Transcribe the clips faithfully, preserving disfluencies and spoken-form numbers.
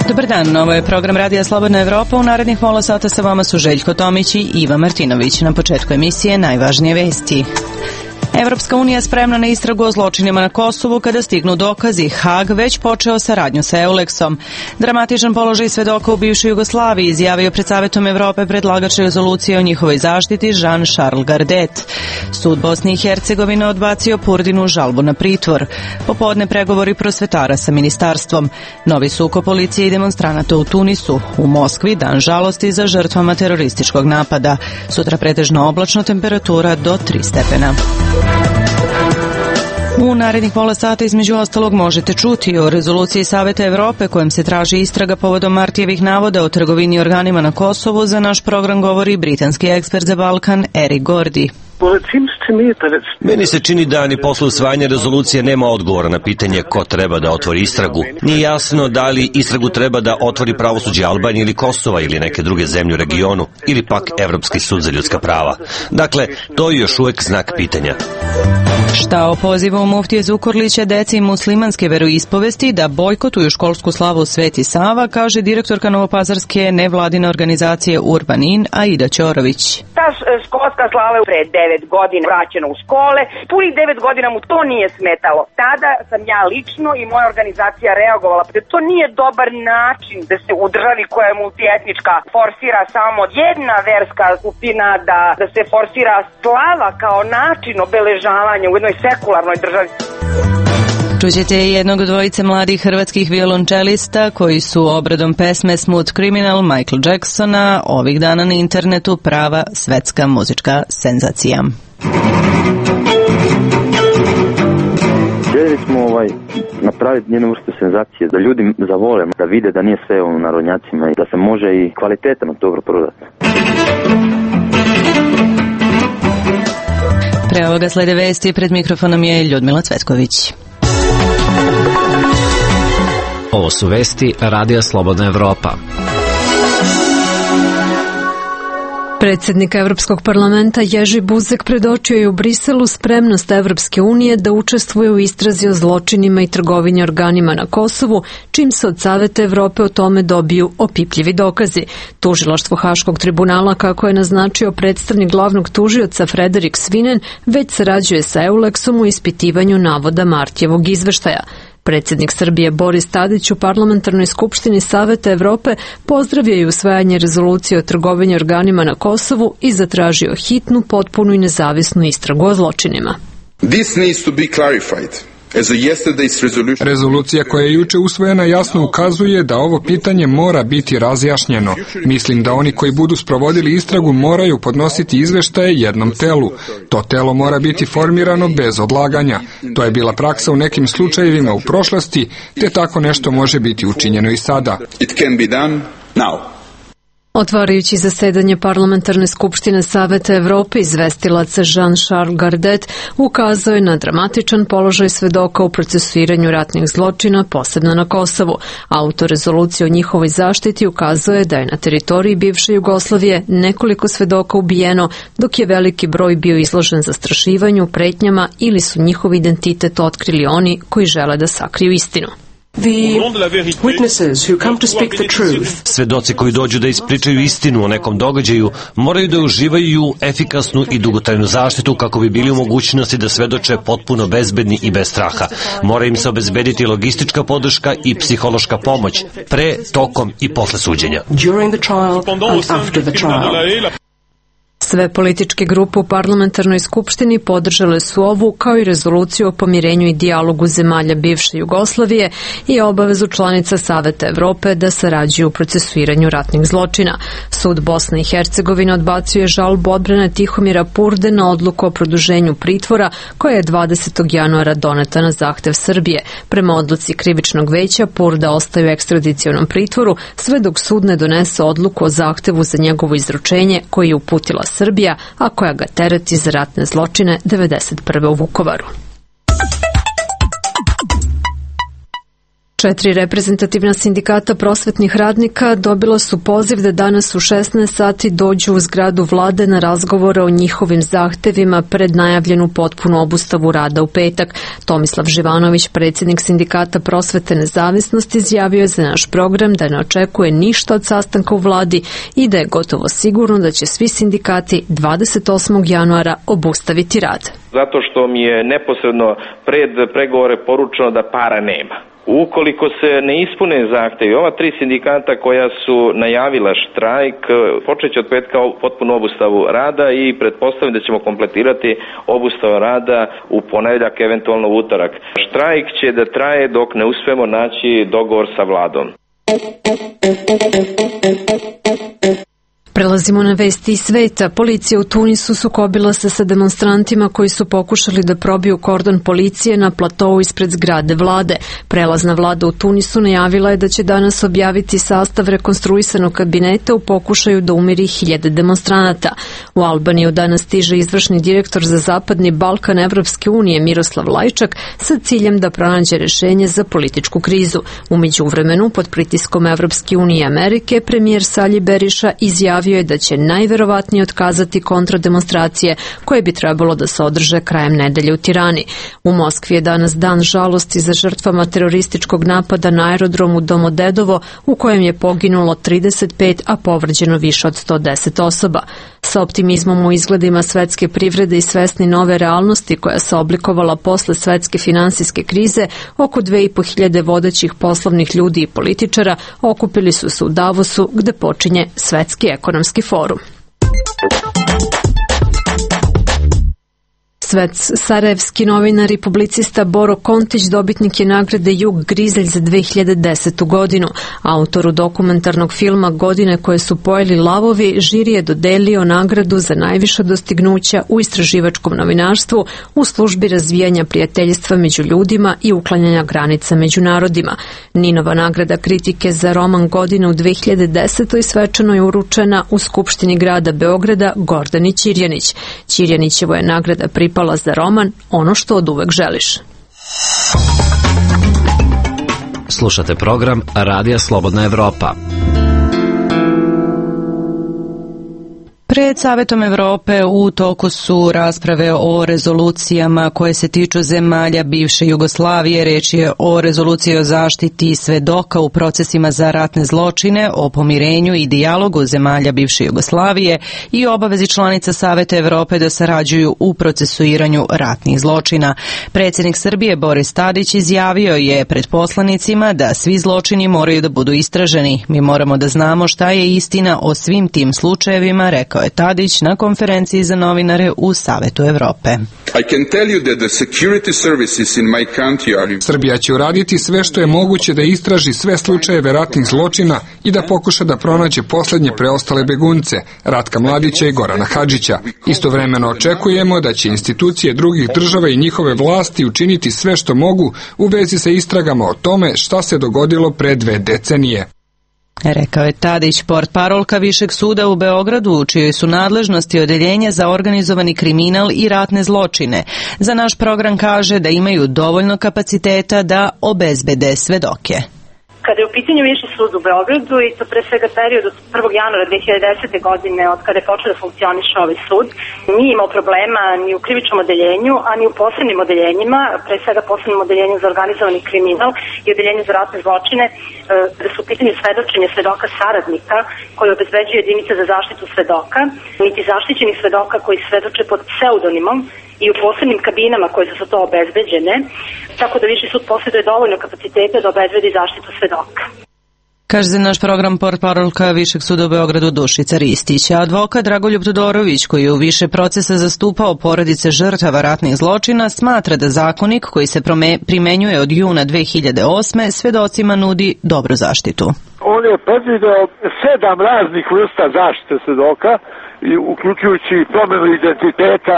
Dobar dan, ovo je program Radija Slobodna Evropa. U narednih pola sata sa vama su Željko Tomić i Iva Martinović. Na početku emisije najvažnije vesti. Evropska unija spremna na istragu o zločinima na Kosovu kada stignu dokazi. Hag već počeo saradnju sa Euleksom. Dramatičan položaj svedoka u bivšoj Jugoslaviji izjavio pred Savetom Evrope predlagač rezolucije o njihovoj zaštiti Jean-Charles Gardet. Sud Bosne i Hercegovine odbacio Purdinu žalbu na pritvor. Popodne pregovori prosvetara sa ministarstvom. Novi sukob policije i demonstranata u Tunisu. U Moskvi dan žalosti za žrtvama terorističkog napada. Sutra pretežno oblačno, temperatura do tri stepena. U narednih pola sata između ostalog možete čuti o rezoluciji Saveta Evrope kojom se traži istraga povodom Martijevih navoda o trgovini organima na Kosovu. Za naš program govori britanski ekspert za Balkan Eric Gordy. Meni se čini da ni posle usvajanja rezolucije nema odgovora na pitanje ko treba da otvori istragu. Nije jasno da li istragu treba da otvori pravosuđe Albanije ili Kosova ili neke druge zemlje u regionu ili pak Evropski sud za ljudska prava. Dakle, to je još uvek znak pitanja. Šta o pozivu muftije Zukorlića deci muslimanske veroispovesti da bojkotuju školsku slavu Sveti Sava, kaže direktorka novopazarske nevladine organizacije Urbanin Aida Ćorović. Ta školska slava je pre devet godina vraćena u škole, punih devet godina mu to nije smetalo. Tada sam ja lično i moja organizacija reagovala, da to nije dobar način da se u državi koja je multietnička forsira samo jedna verska skupina, da, da se forsira slava kao način obeležavanja u jednoj sekularnoj državi. Čućete jednog od dvojice mladih hrvatskih violončelista koji su obradom pesme Smooth Criminal Michael Jacksona ovih dana na internetu prava svetska muzička senzacija. Željeli smo ovaj, napraviti jednu vrstu senzacije, da ljudi zavole, da vide da nije sve u narodnjacima i da se može i kvalitetno dobro prodati. Pre ovoga slede vesti, pred mikrofonom je Ljudmila Cvetković. Ovo su vesti Radija Slobodna Evropa. Predsjednik Evropskog parlamenta Jerzy Buzek predočio je u Briselu spremnost Evropske unije da učestvuje u istrazi o zločinima i trgovini organima na Kosovu, čim se od Saveta Evrope o tome dobiju opipljivi dokazi. Tužilaštvo Haškog tribunala, kako je naznačio predstavnik glavnog tužioca Frederik Svinen, već sarađuje sa Euleksom u ispitivanju navoda Martijevog izveštaja. Predsjednik Srbije Boris Tadić u Parlamentarnoj skupštini Saveta Evrope pozdravio je usvajanje rezolucije o trgovini organima na Kosovu i zatražio hitnu, potpunu i nezavisnu istragu o zločinima. This needs to be clarified. Rezolucija koja je juče usvojena jasno ukazuje da ovo pitanje mora biti razjašnjeno. Mislim da oni koji budu sprovodili istragu moraju podnositi izveštaje jednom telu. To telo mora biti formirano bez odlaganja. To je bila praksa u nekim slučajevima u prošlosti, te tako nešto može biti učinjeno i sada. It can be done now. Otvarajući zasedanje Parlamentarne skupštine Saveta Evrope, izvestilac Jean-Charles Gardet ukazao je na dramatičan položaj svedoka u procesuiranju ratnih zločina, posebno na Kosovu. Autor rezolucije o njihovoj zaštiti ukazao je da je na teritoriji bivše Jugoslavije nekoliko svedoka ubijeno, dok je veliki broj bio izložen zastrašivanju, pretnjama ili su njihov identitet otkrili oni koji žele da sakriju istinu. Svedoci koji dođu da ispričaju istinu o nekom događaju moraju da uživaju efikasnu i dugotrajnu zaštitu kako bi bili u mogućnosti da svedoče potpuno bezbedni i bez straha. Mora im se obezbediti logistička podrška i psihološka pomoć pre, tokom i posle suđenja. Sve političke grupe u Parlamentarnoj skupštini podržale su ovu, kao i rezoluciju o pomirenju i dijalogu zemalja bivše Jugoslavije i obavezu članica Saveta Evrope da sarađuju u procesuiranju ratnih zločina. Sud Bosne i Hercegovine odbacio je žalbu odbrane Tihomira Purde na odluku o produženju pritvora koja je dvadesetog januara doneta na zahtev Srbije. Prema odluci krivičnog veća, Purda ostaje u ekstradicionom pritvoru sve dok sud ne donese odluku o zahtevu za njegovo izručenje koji je uputila Srbija, a koja ga tereti za ratne zločine devedeset prve u Vukovaru. Četiri reprezentativna sindikata prosvetnih radnika dobila su poziv da danas u šesnaest sati dođu u zgradu vlade na razgovore o njihovim zahtevima pred najavljenu potpunu obustavu rada u petak. Tomislav Živanović, predsjednik sindikata prosvete nezavisnosti, izjavio je za naš program da ne očekuje ništa od sastanka u vladi i da je gotovo sigurno da će svi sindikati dvadeset osmog januara obustaviti rad. Zato što mi je neposredno pred pregovore poručeno da para nema. Ukoliko se ne ispune zahtevi, ova tri sindikata koja su najavila štrajk, počeće od petka potpunu obustavu rada i pretpostavljam da ćemo kompletirati obustavu rada u ponedjeljak, eventualno u utorak. Štrajk će da traje dok ne uspemo naći dogovor sa vladom. Prelazimo na vesti iz sveta. Policija u Tunisu sukobila se sa demonstrantima koji su pokušali da probiju kordon policije na platou ispred zgrade vlade. Prelazna vlada u Tunisu najavila je da će danas objaviti sastav rekonstruisanog kabineta u pokušaju da umiri hiljade demonstranata. U Albaniju danas stiže izvršni direktor za Zapadni Balkan Evropske unije Miroslav Lajčak sa ciljem da pronađe rešenje za političku krizu. U međuvremenu, pod pritiskom Evropske unije i Amerike, premijer Salji Beriša izjavio je da će najverovatnije otkazati kontrademonstracije koje bi trebalo da se održe krajem nedelje u Tirani. U Moskvi je danas dan žalosti za žrtvama terorističkog napada na aerodromu Domodedovo u kojem je poginulo trideset pet, a povređeno više od sto deset osoba. Sa optimizmom u izgledima svetske privrede i svesni nove realnosti koja se oblikovala posle svetske finansijske krize, oko dve i po hiljade vodećih poslovnih ljudi i političara okupili su se u Davosu gde počinje Svetski ekonomski forum. Sarajevski novinar i publicista Boro Kontić dobitnik je nagrade Jug Grizelj za dve hiljade desetu godinu. Autoru dokumentarnog filma Godine koje su pojeli lavovi žiri je dodelio nagradu za najviša dostignuća u istraživačkom novinarstvu u službi razvijanja prijateljstva među ljudima i uklanjanja granica među narodima. Ninova nagrada kritike za roman Godine u dve hiljade desetoj svečano je uručena u Skupštini grada Beograda Gordani Ćirjanić. Ćirjanićevo je nagrada pripala za roman Ono što od uvek želiš. Slušate program Radija Slobodna Evropa. Pred Savetom Evrope u toku su rasprave o rezolucijama koje se tiču zemalja bivše Jugoslavije. Reč je o rezoluciji o zaštiti svedoka u procesima za ratne zločine, o pomirenju i dijalogu zemalja bivše Jugoslavije i obavezi članica Saveta Evrope da sarađuju u procesuiranju ratnih zločina. Predsjednik Srbije Boris Tadić izjavio je pred poslanicima da svi zločini moraju da budu istraženi. Mi moramo da znamo šta je istina o svim tim slučajevima, rekao je Tadić na konferenciji za novinare u Savetu Evrope. Srbija će uraditi sve što je moguće da istraži sve slučajeve ratnih zločina i da pokuša da pronađe posljednje preostale begunce, Ratka Mladića i Gorana Hadžića. Istovremeno očekujemo da će institucije drugih država i njihove vlasti učiniti sve što mogu u vezi sa istragama o tome šta se dogodilo pre dve decenije. Rekao je Tadić, portparolka Višeg suda u Beogradu, u čijoj su nadležnosti odeljenja za organizovani kriminal i ratne zločine. Za naš program kaže da imaju dovoljno kapaciteta da obezbede svedoke. Kada je u pitanju Viši sud u Beogradu i to pre svega period od prvog januara dve hiljade desete. godine od kada je počeo da funkcioniše ovaj sud, nije imao problema ni u krivičnom odeljenju, a ni u posebnim odeljenjima, pre svega posebnim odeljenju za organizovani kriminal i odeljenju za ratne zločine, da su u pitanju svedočenja svedoka saradnika koji obezbeđuje jedinice za zaštitu svedoka, niti zaštićenih svedoka koji svedoče pod pseudonimom i u posebnim kabinama koje su to obezbeđene, tako da Viši sud posjeduje dovoljno kapaciteta da obezbedi zaštitu svedoka. Kaže za naš program portparolka Višeg suda u Beogradu Dušica Ristić. Advokat Dragoljub Todorović, koji je u više procesa zastupao porodice žrtava ratnih zločina, smatra da zakonik koji se primenjuje od juna dve hiljade osme. svedocima nudi dobru zaštitu. On je predvideo sedam raznih vrsta zaštite svedoka, i uključujući promjenu identiteta,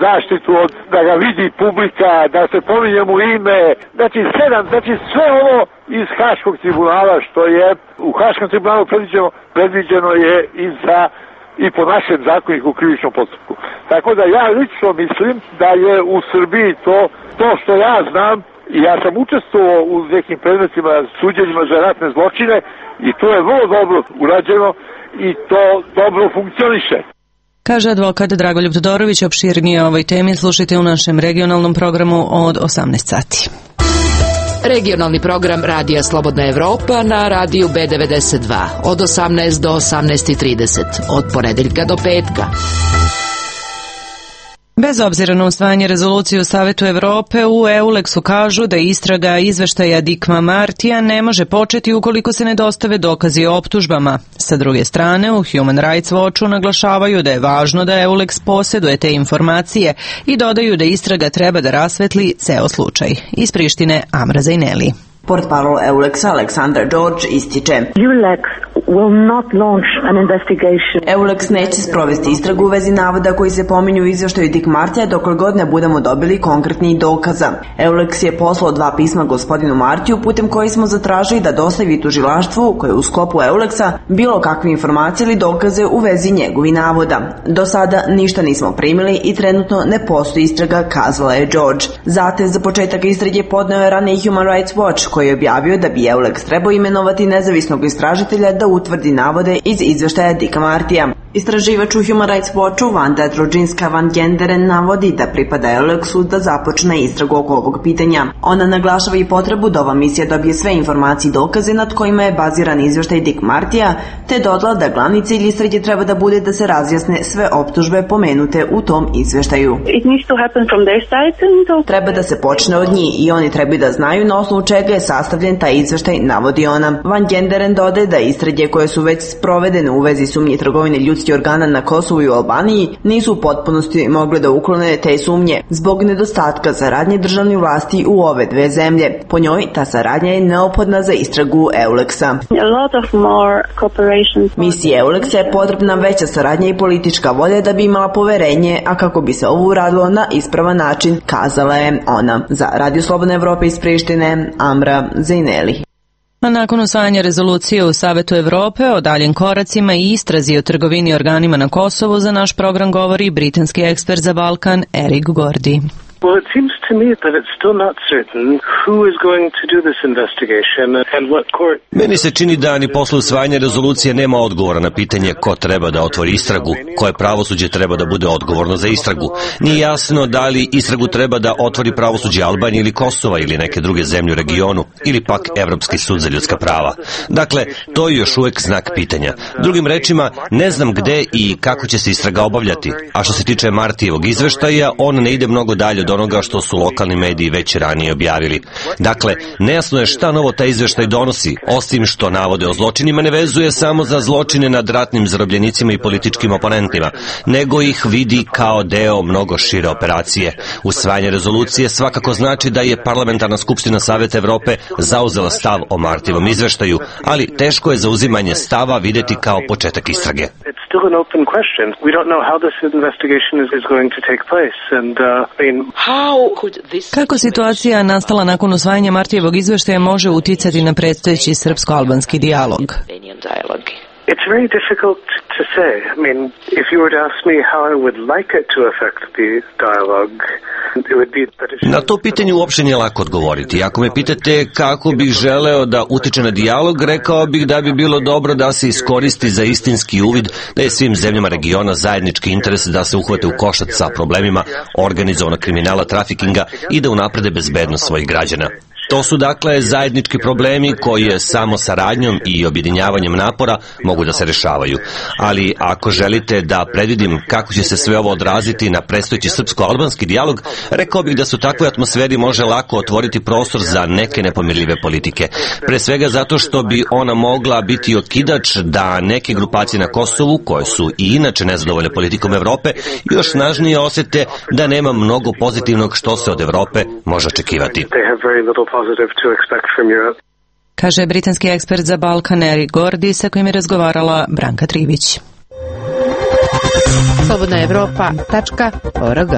zaštitu od da ga vidi publika, da se pominje mu ime, znači sedam, znači sve ovo iz Haškog tribunala što je u Haškom tribunalu predviđeno, predviđeno je i za i po našem zakoniku u krivičnom postupku. Tako da ja lično mislim da je u Srbiji to, to što ja znam, I ja sam učestvovao u nekim predmetima, suđenjima za ratne zločine i to je vrlo dobro urađeno i to dobro funkcioniše. Kaže advokat Dragoljub Todorović. Opširnije o ovoj temi slušajte u našem regionalnom programu od osamnaest sati. Regionalni program Radija Slobodna Evropa na radiju B devedeset dva od osamnaest do osamnaest trideset, od ponedeljka do petka. Bez obzira na usvajanje rezolucije u Savetu Evrope, u EULEX-u kažu da istraga izveštaja Dicka Martija ne može početi ukoliko se ne dostave dokazi o optužbama. Sa druge strane, u Human Rights Watchu naglašavaju da je važno da EULEX posjeduje te informacije i dodaju da istraga treba da rasvetli ceo slučaj. Iz Prištine, Amra Zajneli. Portparol EULEX-a Aleksandar Đorđ ističe: EULEX will not launch an investigation. EULEX neće sprovesti istragu u vezi navoda koji se pominju u izveštaju Dicka Martija dok god ne budemo dobili konkretnih dokaza. EULEX je poslao dva pisma gospodinu Martiju putem koji smo zatražili da dostavi tužilaštvu koje u sklopu EULEX-a bilo kakve informacije ili dokaze u vezi njegovi navoda. Do sada ništa nismo primili i trenutno ne postoji istraga, kazala je Đorđ. Zahtev za početak istrage podneo je ranije Human Rights Watch, koji je objavio da bi EULEX trebao imenovati nezavisnog istražitelja da utvrdi navode iz izveštaja Dicka Martija. Istraživač u Human Rights Watchu Vanda Trudžinska van Genderen navodi da pripada EULEX-u da započne istragu oko ovog pitanja. Ona naglašava i potrebu da ova misija dobije sve informacije i dokaze nad kojima je baziran izveštaj Dicka Martija, te dodala da glavni cilj istrage treba da bude da se razjasne sve optužbe pomenute u tom izveštaju. Treba da se počne od njih i oni trebaju da znaju na osnovu čega je sastavljen taj izveštaj, navodi ona. Van Genderen dodaje da istrage koje su već sprovedene u vezi sumnje trgovine ljudskih organa na Kosovu i u Albaniji nisu u potpunosti mogle da uklone te sumnje zbog nedostatka saradnje državnih vlasti u ove dve zemlje. Po njoj, ta saradnja je neophodna za istragu EULEX-a. Misiji EULEX-a je potrebna veća saradnja i politička volja da bi imala poverenje, a kako bi se ovo uradilo na ispravan način, kazala je ona. Za Radio Slobodna Evropa iz Prištine, Amra Zajneli. A nakon usvajanja rezolucije u Savetu Evrope o daljim koracima i istrazi o trgovini organima na Kosovu, za naš program govori britanski ekspert za Balkan Eric Gordy. Well, it seems to me that it's still not certain who is going to do this investigation and what court. Meni se čini da ni posle usvajanja rezolucije nema odgovora na pitanje ko treba da otvori istragu, koje pravosuđe treba da bude odgovorno za istragu. Nije jasno da li istragu treba da otvori pravosuđe Albanije ili Kosova ili neke druge zemlje u regionu, ili pak Evropski sud za ljudska prava. Dakle, to je još uvek znak pitanja. Drugim rečima, ne znam gde i kako će se istraga obavljati. A što se tiče Martijevog izveštaja, on ne ide mnogo dalje od onoga što su lokalni mediji već ranije objavili. Dakle, nejasno je šta novo taj izveštaj donosi, osim što navode o zločinima ne vezuje samo za zločine nad ratnim zarobljenicima i političkim oponentima, nego ih vidi kao deo mnogo šire operacije. Usvajanje rezolucije svakako znači da je Parlamentarna skupština Saveta Evrope zauzela stav o Martijevom izveštaju, ali teško je zauzimanje stava videti kao početak istrage. Still an open question. We don't know how this investigation is, is going to take place. And, uh, I mean, how could this... Kako situacija nastala nakon usvajanja Martijevog izveštaja može uticati na predstojeći srpsko-albanski dijalog? It's very difficult to say. I mean, if you were to ask me how I would like it to affect the dialogue, it would be that it should... Na to pitanje uopšte nije lako odgovoriti. Ako me pitate kako bih želeo da utiče na dijalog, rekao bih da bi bilo dobro da se iskoristi za istinski uvid, da je svim zemljama regiona zajednički interes da se uhvate u koštac sa problemima organizovanog kriminala, trafikinga i da unaprede bezbednost svojih građana. To su dakle zajednički problemi koji samo saradnjom i objedinjavanjem napora mogu da se rešavaju. Ali ako želite da predvidim kako će se sve ovo odraziti na predstojeći srpsko-albanski dijalog, rekao bih da se u takvoj atmosferi može lako otvoriti prostor za neke nepomirljive politike. Pre svega zato što bi ona mogla biti okidač da neke grupacije na Kosovu, koje su i inače nezadovoljne politikom Evrope, još snažnije osete da nema mnogo pozitivnog što se od Evrope može očekivati. Kaže britanski ekspert za Balkan Eric Gordy, sa kojim je razgovarala Branka Trivić. slobodna evropa tačka org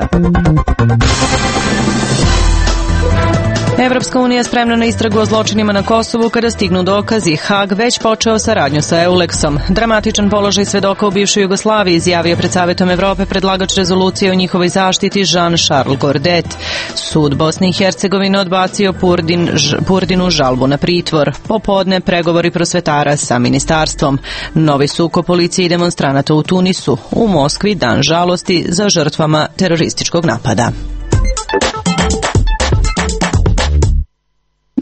Evropska unija spremna na istragu o zločinima na Kosovu kada stignu dokazi. Hag već počeo saradnju sa Euleksom. Dramatičan položaj svedoka u bivšoj Jugoslaviji izjavio pred Savetom Evrope predlagač rezolucije o njihovoj zaštiti Jean-Charles Gordet. Sud Bosne i Hercegovine odbacio Purdin, Purdinu žalbu na pritvor. Popodne pregovori prosvetara sa ministarstvom. Novi sukob policije i demonstranata u Tunisu. U Moskvi dan žalosti za žrtvama terorističkog napada.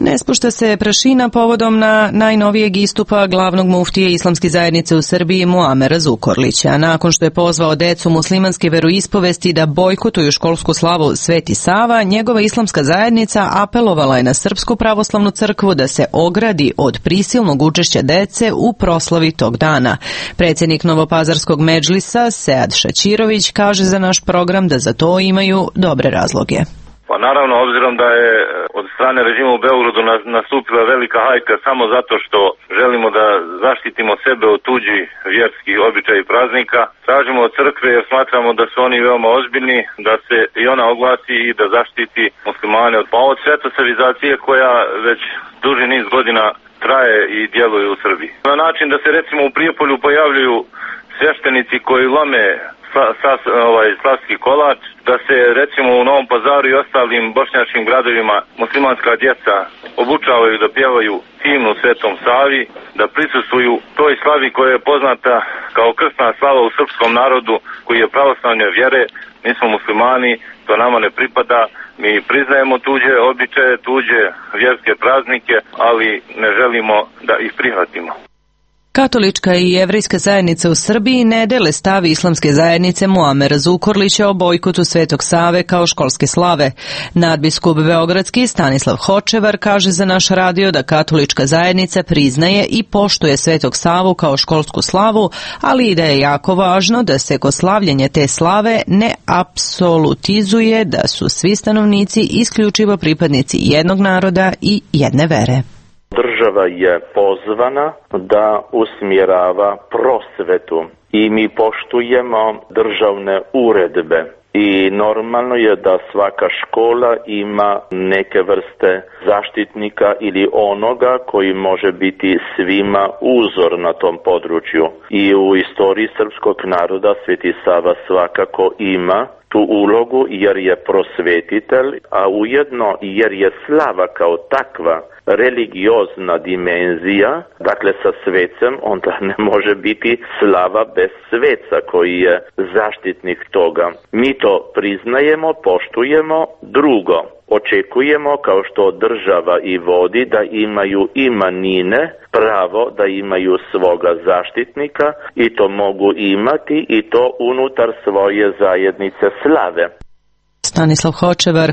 Ne spušta se prašina povodom na najnovijeg istupa glavnog muftije islamske zajednice u Srbiji Muamera Zukorlića. Nakon što je pozvao decu muslimanske veroispovesti da bojkotuju školsku slavu Sveti Sava, njegova islamska zajednica apelovala je na Srpsku pravoslavnu crkvu da se ogradi od prisilnog učešća dece u proslavi tog dana. Predsjednik Novopazarskog medžlisa Sead Šaćirović kaže za naš program da za to imaju dobre razloge. Pa naravno, obzirom da je od strane režima u Beogradu nastupila velika hajka samo zato što želimo da zaštitimo sebe od tuđih vjerskih običaja i praznika, tražimo od crkve jer smatramo da su oni veoma ozbiljni, da se i ona oglasi i da zaštiti muslimane od, pa od svetosavizacije koja već duži niz godina traje i djeluje u Srbiji. Na način da se recimo u Prijepolju pojavljuju sveštenici koji lome Sa, sa, ovaj, slavski kolač, da se recimo u Novom Pazaru i ostalim bošnjačkim gradovima muslimanska djeca obučavaju da pjevaju himnu Svetom Savi, da prisustvuju toj slavi koja je poznata kao krsna slava u srpskom narodu koji je pravoslavne vjere. Mi smo muslimani, to nama ne pripada, mi priznajemo tuđe običaje, tuđe vjerske praznike, ali ne želimo da ih prihvatimo. Katolička i jevrejska zajednica u Srbiji ne dele stav islamske zajednice Muamera Zukorlića o bojkotu Svetog Save kao školske slave. Nadbiskup beogradski Stanislav Hočevar kaže za naš radio da katolička zajednica priznaje i poštuje Svetog Savu kao školsku slavu, ali i da je jako važno da se kod slavljenja te slave ne apsolutizuje da su svi stanovnici isključivo pripadnici jednog naroda i jedne vere. Država je pozvana da usmjerava prosvetu i mi poštujemo državne uredbe. I normalno je da svaka škola ima neke vrste zaštitnika ili onoga koji može biti svima uzor na tom području. I u istoriji srpskog naroda Sveti Sava svakako ima tu ulogu jer je prosvetitelj, a ujedno jer je slava kao takva religiozna dimenzija, dakle sa svecem, onda ne može biti slava bez sveca koji je zaštitnik toga. Mi to priznajemo, poštujemo. Drugo, očekujemo kao što država i vodi da imaju i manjine pravo da imaju svoga zaštitnika i to mogu imati i to unutar svoje zajednice slave. Stanislav Hočevar.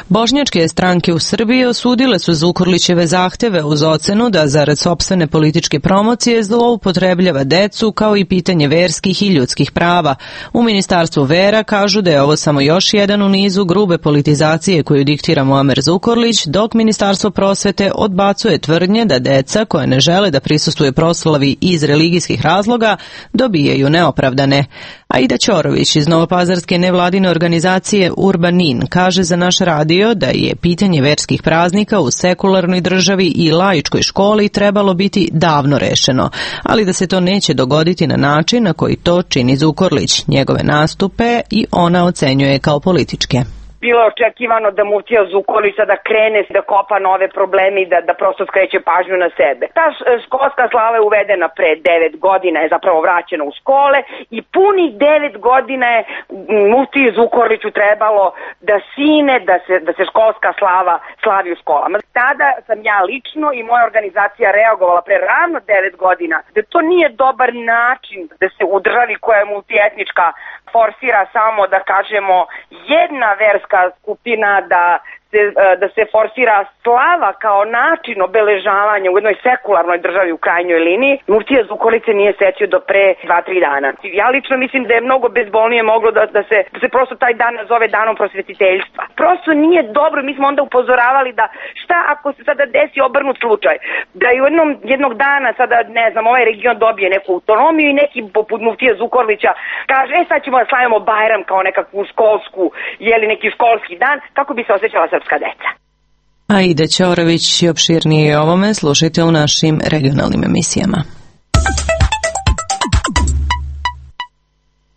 Bošnjačke stranke u Srbiji osudile su Zukorlićeve zahteve uz ocenu da zarad sopstvene političke promocije zloupotrebljava decu kao i pitanje verskih i ljudskih prava. U Ministarstvu vera kažu da je ovo samo još jedan u nizu grube politizacije koju diktira Muamer Zukorlić, dok Ministarstvo prosvete odbacuje tvrdnje da deca koje ne žele da prisustvuje proslavi iz religijskih razloga dobijaju neopravdane. Aida Ćorović iz Novopazarske nevladine organizacije Urbanin kaže za naš radio da je pitanje verskih praznika u sekularnoj državi i laičkoj školi trebalo biti davno rešeno, ali da se to neće dogoditi na način na koji to čini Zukorlić. Njegove nastupe i ona ocenjuje kao političke. Bilo je očekivano da muftija Zukorlić sada krene da kopa nove probleme i da, da prosto skreće pažnju na sebe. Ta školska slava je uvedena pre devet godina, je zapravo vraćena u škole i punih devet godina je muftiji Zukorliću trebalo da sine da se, da se školska slava slavi u školama. Tada sam ja lično i moja organizacija reagovala pre ravno devet godina da to nije dobar način da se u državi koja je multietnička forsira samo, da kažemo, jedna verska skupina, da se, da se forsira slava kao način obeležavanja u jednoj sekularnoj državi u krajnjoj liniji. Muftija Zukorlić se nije setio do pre dva tri dana. Ja lično mislim da je mnogo bezbolnije moglo da, da, se, da se prosto taj dan nazove danom prosvetiteljstva. Prosto nije dobro, mi smo onda upozoravali da šta ako se sada desi obrnut slučaj, da i jednom, jednog dana sada, ne znam, ovaj region dobije neku autonomiju i neki poput muftija Zukorlića kaže, e sad ćemo da slavimo Bajram kao nekakvu školsku, jeli neki školski dan, kako bi se osjećala srpska deca. Aida Ćorović, opširnije o ovome slušajte u našim regionalnim emisijama.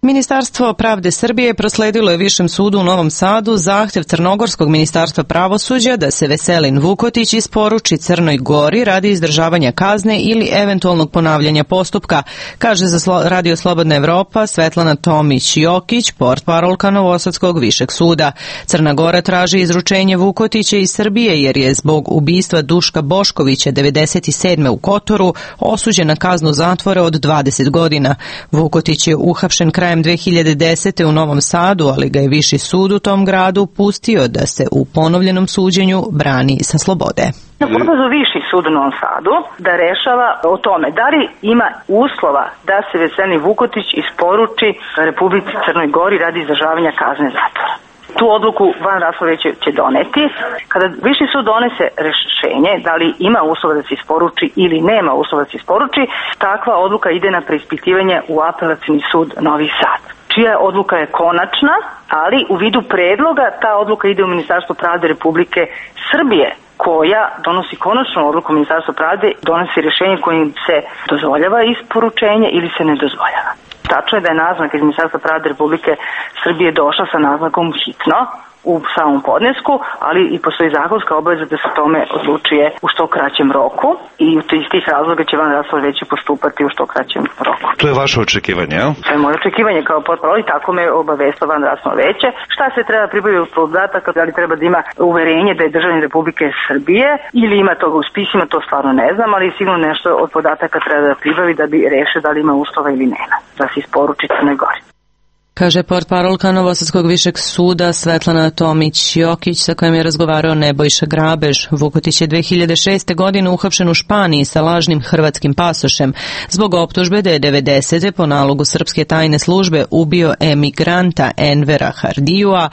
Ministarstvo pravde Srbije prosledilo je Višem sudu u Novom Sadu zahtev Crnogorskog ministarstva pravosuđa da se Veselin Vukotić isporuči Crnoj Gori radi izdržavanja kazne ili eventualnog ponavljanja postupka, kaže za Radio Slobodna Evropa Svetlana Tomić-Jokić, portparolka Novosadskog višeg suda. Crna Gora traži izručenje Vukotića iz Srbije jer je zbog ubistva Duška Boškovića devedeset sedme u Kotoru osuđen na kaznu zatvora od dvadeset godina. Vukotić je uhapšen krajem dve hiljade desete. u Novom Sadu, ali ga je Viši sud u tom gradu pustio da se u ponovljenom suđenju brani sa slobode. Obavezao Viši sud u Novom Sadu da rešava o tome da li ima uslova da se Veselin Vukotić isporuči Republici Crnoj Gori radi izdržavanja kazne zatvora. Tu odluku Van Raslo Veće će doneti. Kada Viši sud donese rešenje da li ima uslova da se isporuči ili nema uslova da se isporuči, takva odluka ide na preispitivanje u Apelacioni sud Novi Sad, čija odluka je konačna, ali u vidu predloga ta odluka ide u Ministarstvo pravde Republike Srbije, koja donosi konačnu odluku Ministarstva pravde, donosi rješenje kojim se dozvoljava isporučenje ili se ne dozvoljava. Tačno je da je naznaka iz Ministarstva pravde Republike Srbije došla sa naznakom hitno u samom podnesku, ali i postoji zakonska obaveza da se tome odlučuje u što kraćem roku i iz tih razloga će Van Raslo Veće postupati u što kraćem roku. To je vaše očekivanje, jel? To je moje očekivanje kao portparol i tako me obavestilo Van Raslo Veće. Šta se treba pribaviti od podataka, da li treba da ima uverenje da je državljanin Republike Srbije ili ima toga u spisima, to stvarno ne znam, ali sigurno nešto od podataka treba da pribavi da bi rešio da li ima uslova ili nema da se isporuči Crnoj Gori. Kaže portparolka Novosadskog višeg suda Svetlana Tomić-Jokić, sa kojom je razgovarao Nebojša Grabež. Vukotić je dve hiljade šeste. godine uhapšen u Španiji sa lažnim hrvatskim pasošem zbog optužbe da je devedesete. po nalogu srpske tajne službe ubio emigranta Envera Hardijua.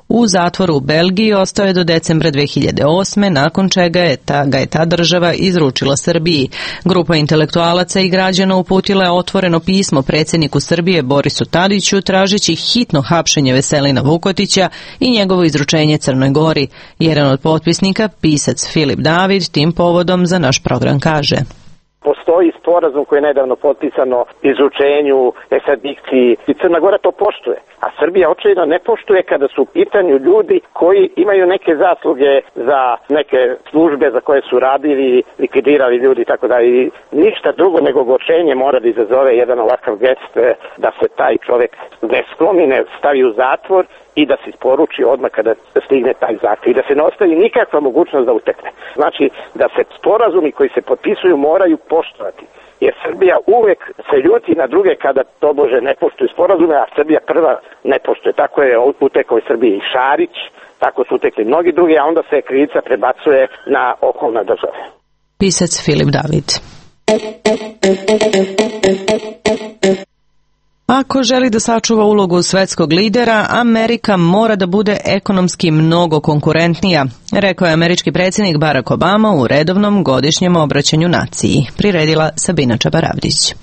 U zatvoru u Belgiji ostao je do decembra dve hiljade osme. nakon čega je ta, ga je ta država izručila Srbiji. Grupa intelektualaca i građana uputila je otvoreno pismo predsjedniku Srbije Borisu Tadiću tražeći hitno hapšenje Veselina Vukotića i njegovo izručenje Crnoj Gori. Jedan od potpisnika, pisac Filip David, tim povodom za naš program kaže: Postoji sporazum koji je nedavno potpisano izručenju, ekstradikciji i Crna Gora to poštuje. A Srbija očigledno ne poštuje kada su u pitanju ljudi koji imaju neke zasluge za neke službe za koje su radili, likvidirali ljudi i tako da. I ništa drugo nego ogorčenje mora da izazove jedan ovakav gest da se taj čovjek ne skloni, ne stavi u zatvor i da se isporuči odmah kada stigne taj zahtev i da se ne ostavi nikakva mogućnost da utekne. Znači da se sporazumi koji se potpisuju moraju poštovati. Jer Srbija uvek se ljuti na druge kada tobože ne poštuju sporazume, a Srbija prva ne poštuje. Tako je utekao i Srbiji i Šarić, tako su utekli mnogi drugi, a onda se krivica prebacuje na okolne države. Pisac Filip David. Ako želi da sačuva ulogu svetskog lidera, Amerika mora da bude ekonomski mnogo konkurentnija, rekao je američki predsjednik Barack Obama u redovnom godišnjem obraćanju naciji, priredila Sabina Čabaravdić.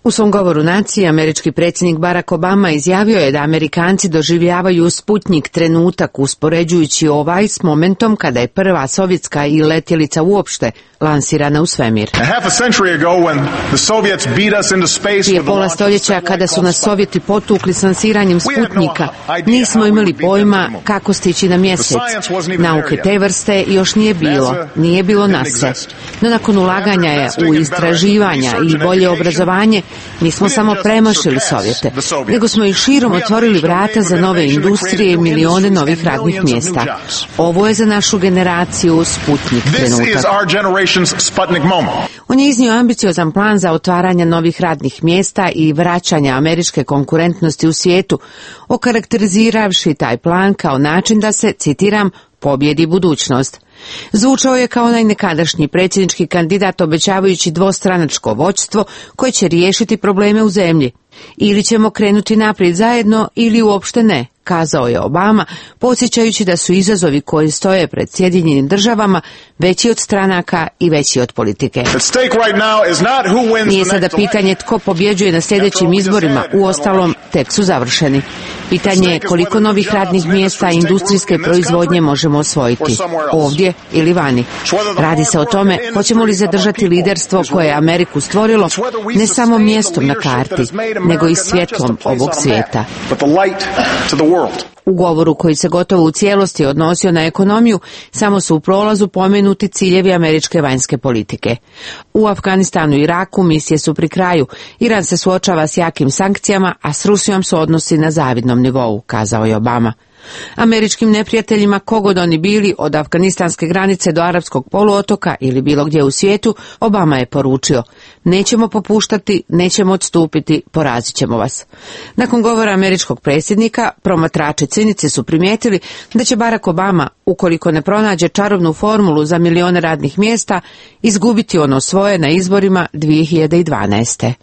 U svom govoru naciji američki predsjednik Barack Obama izjavio je da Amerikanci doživljavaju Sputnjik trenutak uspoređujući ovaj s momentom kada je prva sovjetska i letjelica uopšte lansirana u svemir. Prije pola stoljeća kada su nas Sovjeti potukli s lansiranjem Sputnjika, nismo imali pojma kako stići na mjesec. Nauke te vrste još nije bilo, nije bilo nase. No nakon ulaganja je u istraživanja i bolje obrazovanje, nismo samo premašili Sovjete, nego smo i širom otvorili vrata za nove industrije i milione novih radnih mjesta. Ovo je za našu generaciju Sputnjik trenutak. On je iznio ambiciozan plan za otvaranje novih radnih mjesta i vraćanja američke konkurentnosti u svijetu, okarakteriziravši taj plan kao način da se, citiram, pobjedi budućnost. Zvučao je kao onaj nekadašnji predsjednički kandidat obećavajući dvostranačko vođstvo koje će riješiti probleme u zemlji. Ili ćemo krenuti naprijed zajedno ili uopšte ne, kazao je Obama, podsjećajući da su izazovi koji stoje pred Sjedinjenim državama veći od stranaka i veći od politike. Nije sada pitanje tko pobjeđuje na sljedećim izborima, uostalom tek su završeni. Pitanje je koliko novih radnih mjesta i industrijske proizvodnje možemo osvojiti, ovdje ili vani. Radi se o tome hoćemo li zadržati liderstvo koje je Ameriku stvorilo ne samo mjestom na karti, nego i svjetlom ovog svijeta. U govoru koji se gotovo u cijelosti odnosio na ekonomiju, samo su u prolazu pomenuti ciljevi američke vanjske politike. U Afganistanu i Iraku misije su pri kraju. Iran se suočava s jakim sankcijama, a s Rusijom su odnosi na zavidnom nivou, kazao je Obama. Američkim neprijateljima, kogod oni bili, od afganistanske granice do arapskog poluotoka ili bilo gdje u svijetu, Obama je poručio: nećemo popuštati, nećemo odstupiti, porazit ćemo vas. Nakon govora američkog predsjednika, promatrači cinici su primijetili da će Barack Obama, ukoliko ne pronađe čarobnu formulu za milijone radnih mjesta, izgubiti ono svoje na izborima dvije hiljade dvanaeste.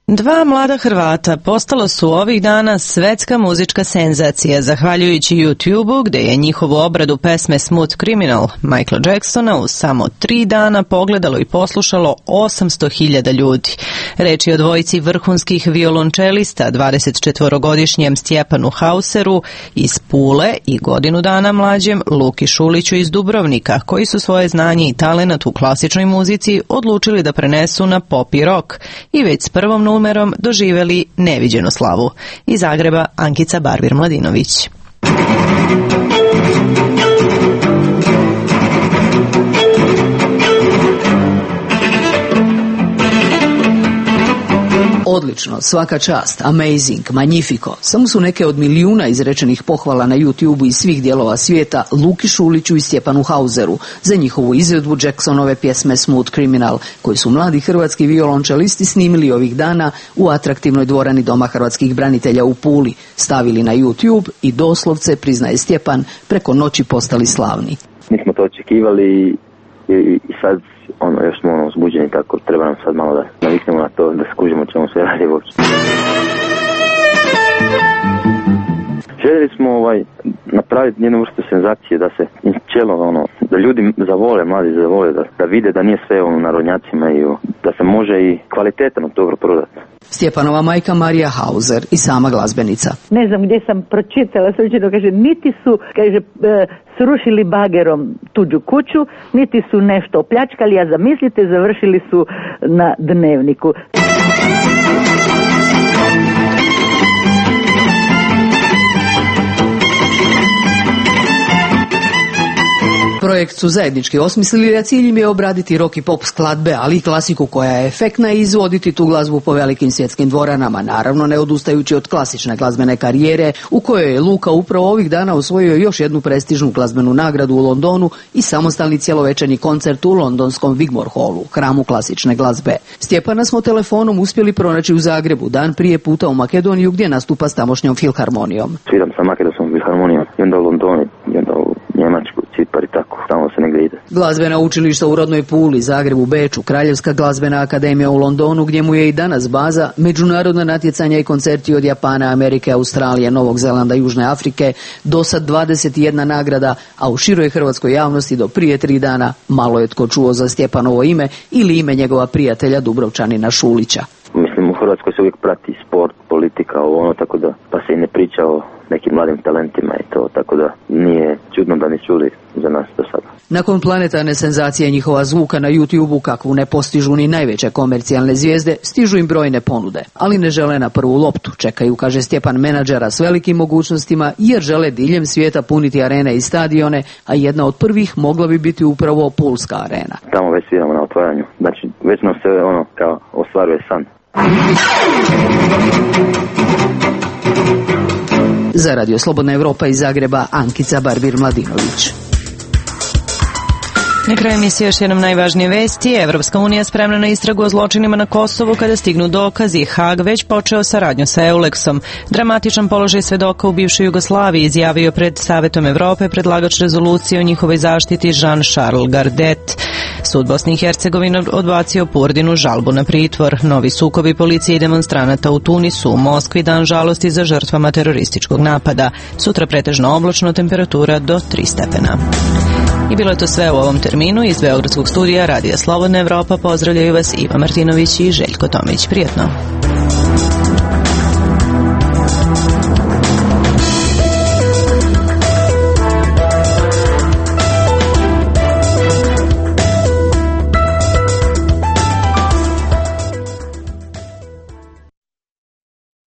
Dva mlada Hrvata postala su ovih dana svetska muzička senzacija zahvaljujući YouTube-u, gdje je njihovu obradu pesme Smooth Criminal Michaela Jacksona u samo tri dana pogledalo i poslušalo osamsto hiljada ljudi. Reč je o dvojici vrhunskih violončelista, dvadesetčetvorogodišnjem Stjepanu Hauseru iz Pule i godinu dana mlađem Luki Šuliću iz Dubrovnika, koji su svoje znanje i talenat u klasičnoj muzici odlučili da prenesu na pop i rock i već s prvom numerom doživjeli neviđenu slavu. Iz Zagreba Ankica Barbir-Mladinović. Odlično, svaka čast, amazing, magnifico. Samo su neke od milijuna izrečenih pohvala na YouTube-u iz svih dijelova svijeta Luki Šuliću i Stjepanu Hauseru za njihovu izvedbu Jacksonove pjesme Smooth Criminal, koji su mladi hrvatski violončelisti snimili ovih dana u atraktivnoj dvorani Doma hrvatskih branitelja u Puli, stavili na YouTube i doslovce, priznaje Stjepan, preko noći postali slavni. Mi smo to očekivali i, i sad ono, još smo ono uzbuđeni, tako treba nam sad malo da naviknemo na to, da skužimo čemu sve radi uopće. Željeli smo ovaj, napraviti jednu vrstu senzacije, da se čelo, ono, da ljudi zavole, mladi zavole, da, da vide da nije sve ono narodnjacima i da se može i kvalitetno dobro prodati. Stjepanova majka Marija Hauser i sama glazbenica. Ne znam gdje sam pročitala, slučajno kaže, niti su, kaže, e, srušili bagerom tuđu kuću, niti su nešto opljačkali, a zamislite, završili su na Dnevniku. Projekt su zajednički osmislili, a cilj im je obraditi rock i pop skladbe, ali i klasiku koja je efektna i izvoditi tu glazbu po velikim svjetskim dvoranama, naravno ne odustajući od klasične glazbene karijere, u kojoj je Luka upravo ovih dana osvojio još jednu prestižnu glazbenu nagradu u Londonu i samostalni cjelovečernji koncert u londonskom Wigmore Hallu, hramu klasične glazbe. Stjepana smo telefonom uspjeli pronaći u Zagrebu, dan prije puta u Makedoniju, gdje nastupa s tamošnjom filharmonijom. Sviram sa makedonskom filharmonijom, i onda u Londonu, i onda u Njemačku, Cipar i tako, tamo se negdje ide. Glazbena učilišta u rodnoj Puli, Zagrebu, Beču, Kraljevska glazbena akademija u Londonu, gdje mu je i danas baza, međunarodna natjecanja i koncerti od Japana, Amerike, Australije, Novog Zelanda, Južne Afrike, do sad dvadeset jedna nagrada, a u široj hrvatskoj javnosti do prije tri dana malo je tko čuo za Stjepanovo ime ili ime njegova prijatelja Dubrovčanina Šulića. Mislim, u Hrvatskoj se uvijek prati sport, politika, ono, tako da, pa se i ne priča o nekim mladim talentima i to, tako da nije čudno da ni čuli za nas do sada. Nakon planetarne senzacije njihova zvuka na YouTube-u, kakvu ne postižu ni najveće komercijalne zvijezde, stižu im brojne ponude, ali ne žele na prvu loptu, čekaju, kaže Stjepan, menadžera s velikim mogućnostima, jer žele diljem svijeta puniti arene i stadione, a jedna od prvih mogla bi biti upravo Pulska arena. Tamo već sviramo na otvaranju, znači već nam se ono kao ostvaruje san. Za Radio Slobodna Evropa iz Zagreba, Ankica Barbir-Mladinović. Na kraju emisije još jednom najvažnije vesti. Evropska unija spremna na istragu o zločinima na Kosovu kada stignu dokazi. Hag već počeo saradnju sa Euleksom. Dramatičan položaj svedoka u bivšoj Jugoslaviji izjavio pred Savetom Evrope predlagač rezolucije o njihovoj zaštiti Jean-Charles Gardet. Sud Bosne i Hercegovine odbacio Purdinu žalbu na pritvor. Novi sukobi policije i demonstranata u Tunisu, u Moskvi dan žalosti za žrtvama terorističkog napada. Sutra pretežno oblačno, temperatura do tri stepena. I bilo je to sve u ovom terminu. Iz Beogradskog studija Radija Slobodna Evropa pozdravljaju vas Iva Martinović i Željko Tomić. Prijetno.